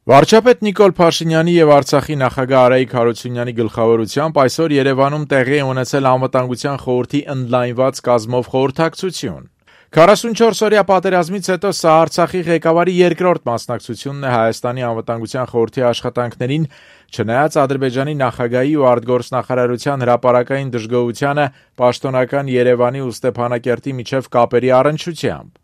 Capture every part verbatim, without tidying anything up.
Վարչապետ Նիկոլ Փաշինյանի եւ Արցախի նախագահ Արայիկ Հարությունյանի գլխավորությամբ այսօր Երևանում տեղի է ունեցել Անվտանգության խորհրդի ընդլայնված կազմով խորհրդակցություն։ քառասունչորս-օրյա պատերազմից հետո սա Արցախի ղեկավարի երկրորդ մասնակցությունն է Հայաստանի Անվտանգության խորհրդի աշխատանքներին, չնայած Ադրբեջանի նախագահի ու արտգործնախարարության հրապարակային դժգոհությանը պաշտոնական Երևանի ու Ստեփանակերտի միջև կապերի առնչությամբ։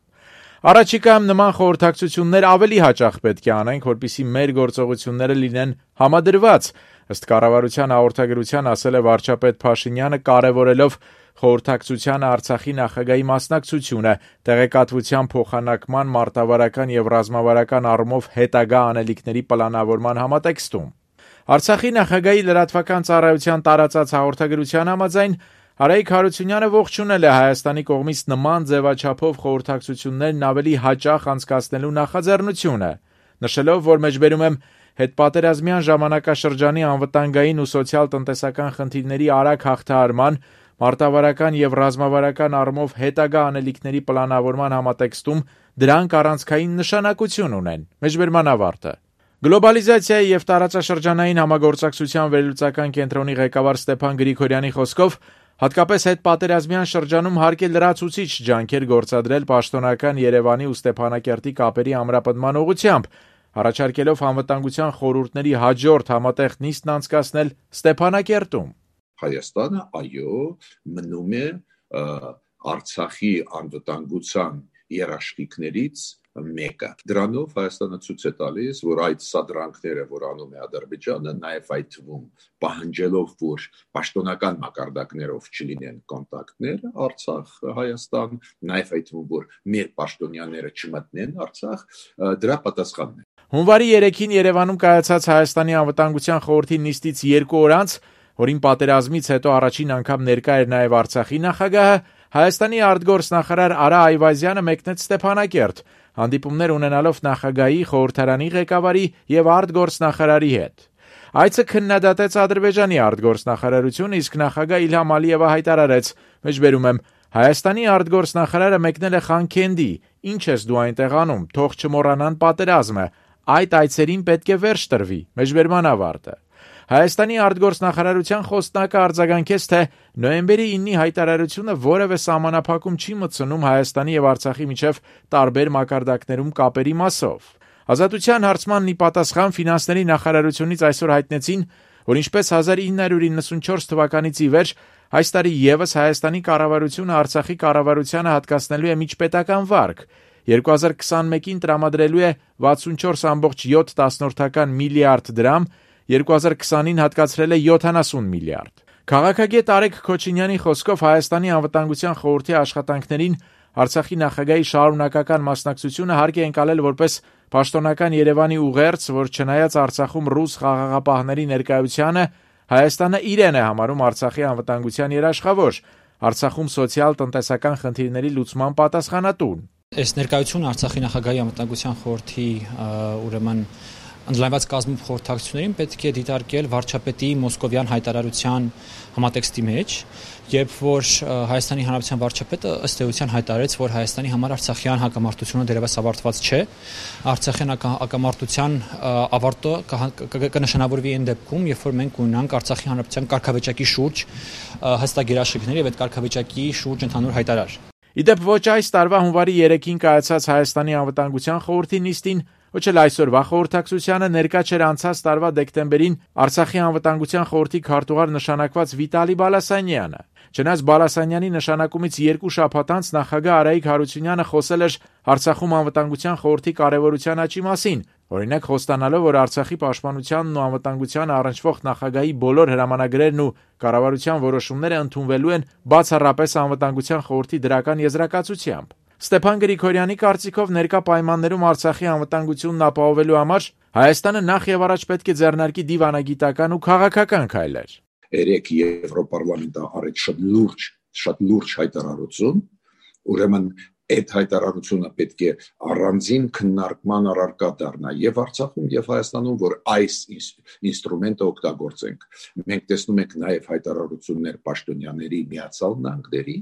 Առաջիկայում նման խորհրդակցություններ ավելի հաճախ պետք է անենք, որպեսզի մեր գործողությունները լինեն համադրված, ըստ կառավարության հաղորդագրության ասել է վարչապետ Փաշինյանը, կարևորելով խորհրդակցությանը Արցախի նախագահի մասնակցությունը, տեղեկատվության փոխանակման, մարտավարական եւ ռազմավարական առումով հետագա անելիքների պլանավորման համատեքստում։ Արցախի նախագահի լրատվական ծառայության տարածած հաղորդագրության համաձայն Արայիկ Հարությունյանը ողջունել է Հայաստանի կողմից նման ձևաչափով խորհրդակցություններն ավելի հաճախ անցկացնելու նախաձեռնությունը, նշելով, որ մեջբերում եմ հետպատերազմյան ժամանակաշրջանի անվտանգային ու սոցիալ-տնտեսական խնդիրների արագ հաղթահարման, մարտավարական եւ ռազմավարական առումով հետագա անելիքների պլանավորման համատեքստում դրանք առանցքային նշանակություն ունեն։ Մեջբերման ավարտը։ Գլոբալիզացիայի եւ տարածաշրջանային համագործակցության վերլուծական կենտրոնի ղեկավար Ստեփան Գրիգորյանի խոսքով հատկապես հետպատերազմյան շրջանում հարկ է լրացուցիչ ջանքեր գործադրել պաշտոնական Երևանի ու Ստեփանակերտի կապերի ամրապնդման ուղղությամբ, առաջարկելով անվտանգության խորհուրդների հաջորդ համատեղ նիստն անցկացնել Ստեփանակերտում։ Հայաստանը, այո, մնում է Արցախի անվտանգության երաշխիքներից մեկը։ Դրանով Հայաստանը ցույց է տալիս, որ այդ սադրանքները, որ անում է Ադրբեջանը, նաև այդ թվում պահանջելով, որ պաշտոնական մակարդակներով չլինեն կոնտակտներ Արցախ-Հայաստան, նաև այդ թվում, որ մեր պաշտոնյաները չմտնեն Արցախ, դրա պատասխանն է։ Հունվարի երեքին Երևանում կայացած Հայաստանի անվտանգության խորհրդի նիստից երկու օր անց, որին պատերազմից հետո առաջին անգամ ներկա էր նաև Արցախի նախագահը, Հայաստանի արտգործնախարար Արա Այվազյանը մեկնեց Ստեփանակերտ, հանդիպումներ ունենալով նախագահի, խորհրդարանի ղեկավարի եւ արտգործնախարարի հետ։ Այցը քննադատեց Ադրբեջանի արտգործնախարարությունը, իսկ նախագահ Իլհամ Ալիևը հայտարարեց. «Մեջբերում եմ, Հայաստանի արտգործնախարարը մեկնել է Խանքենդի, ինչ ես դու այնտեղ անում, թող չմոռանան պատերազմը, այդ այցերին պետք է վերջ տրվի»։ Մեջբերման ավարտը։ Հայաստանի արտգործնախարարության խոսնակը արձագանքեց, թե նոյեմբերի իննի հայտարարությունը որևէ սահմանափակում չի մտցնում Հայաստանի եւ Արցախի միջև տարբեր մակարդակներում կապերի մասով։ Ազատության հարցմանն ի պատասխան ֆինանսների նախարարությունից այսօր հայտնեցին, որ ինչպես հազար ինը հարյուր իննսունչորս թվականից ի վեր այս տարի եւս Հայաստանի կառավարությունը Արցախի կառավարությանը հատկացնելու է միջպետական վարկ, երկու հազար քսանմեկին տրամադրելու է վաթսունչորս կόμma յոթ միլիարդ դրամ, երկու հազար քսանին հատկացրել է յոթանասուն միլիարդ։ Քաղաքագետ Արեգ Քոչինյանի խոսքով Հայաստանի անվտանգության խորհրդի աշխատանքներին Արցախի նախագահի շարունակական մասնակցությունը հարկ է ընկալել որպես պաշտոնական Երևանի ուղերձ, որ չնայած Արցախում ռուս խաղաղապահների ներկայությանը, Հայաստանը իրեն է համարում Արցախի անվտանգության երաշխավոր, Արցախում սոցիալ-տնտեսական խնդիրների լուծման պատասխանատուն։ Այս ներկայությունը Արցախի նախագահի անվտանգության խորհրդի ուրեմն ընդլայնված կազմով խորհրդակցություններին պետք է դիտարկել վարչապետի մոսկովյան հայտարարության համատեքստի մեջ, երբ որ Հայաստանի Հանրապետության վարչապետը ըստ էության հայտարարեց, որ Հայաստանի համար արցախյան հակամարտությունը դեռևս ավարտված չէ, արցախյան հակամարտության ավարտը կնշանավորվի այն դեպքում, երբ որ մենք ունենանք Արցախի Հանրապետության կարգավիճակի շուրջ հստակ երաշխիքներ եւ այդ կարգավիճակի շուրջ ընդհանուր հայտարար։ Իդեպ ոչ այս տարվա հունվարի երեքին կայացած Հայաստանի անվտանգության խորհրդի նիստին, ոչ էլ այսօրվա խորհրդակցությանը ներկա չէր անցած տարվա դեկտեմբերին Արցախի անվտանգության խորհրդի քարտուղար նշանակված Վիտալի Բալասանյանը։ Չնայած Բալասանյանի նշանակումից երկու շաբաթ անց նախագահ Արայիկ Հարությունյանը խոսել էր Արցախում անվտանգության խորհրդի կարևորության աճի մասին, օրինակ խոստանալով, որ Արցախի պաշտպանությանն ու անվտանգությանը առնչվող նախագահի բոլոր հրամանագրերն ու կառավարության որոշումները ընդունվելու են բացառապես անվտանգության խորհրդի դրական եզրակացությամբ։ Ստեփան Գրիգորյանի կարծիքով ներկա պայմաններում Արցախի անվտանգությունն ապահովելու համար Հայաստանը նախ եւ առաջ պետք է ձեռնարկի դիվանագիտական ու քաղաքական քայլեր։ Երեք Եվրոպարլամենտը արեց շատ լուրջ, շատ լուրջ հայտարարություն, ուրեմն այդ հայտարարությունը պետք է առանձին քննարկման առարկա դառնա եւ Արցախում եւ Հայաստանում, որ այս ինստրումենտը օգտագործենք։ Մենք տեսնում ենք նաեւ հայտարարություններ պաշտոնյաների Միացյալ Նահանգների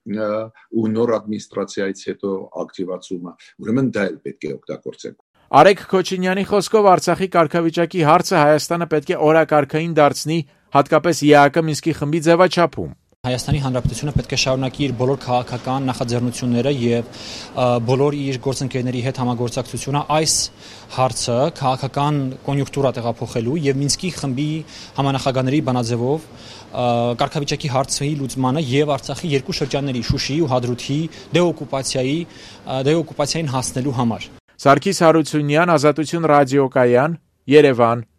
ու նոր ադմինիստրացիայից հետո ակտիվացումը, ուրեմն դա էլ պետք է օգտագործենք։ Արեգ Քոչինյանի խոսքով Արցախի կարգավիճակի հարցը Հայաստանը պետք է օրակարգային դարձնի, հատկապես ԵԱԿ Մինսկի խմբի ձևաչափում։ Հայաստանի Հանրապետությունը պետք է շարունակի իր բոլոր քաղաքական նախաձեռնությունները եւ բոլոր իր գործընկերների հետ համագործակցությունը այս հարցը քաղաքական կոնյունկտուրա տեղափոխելու եւ Մինսկի խմբի համանախագահների բանաձևով կարգավիճակի հարցի լուծմանը եւ Արցախի երկու շրջանների Շուշիի ու Հադրութի դեօկուպացիայի դեօկուպացիային հասնելու համար։ Սարգիս Հարությունյան, Ազատություն ռադիոկայան, Երևան։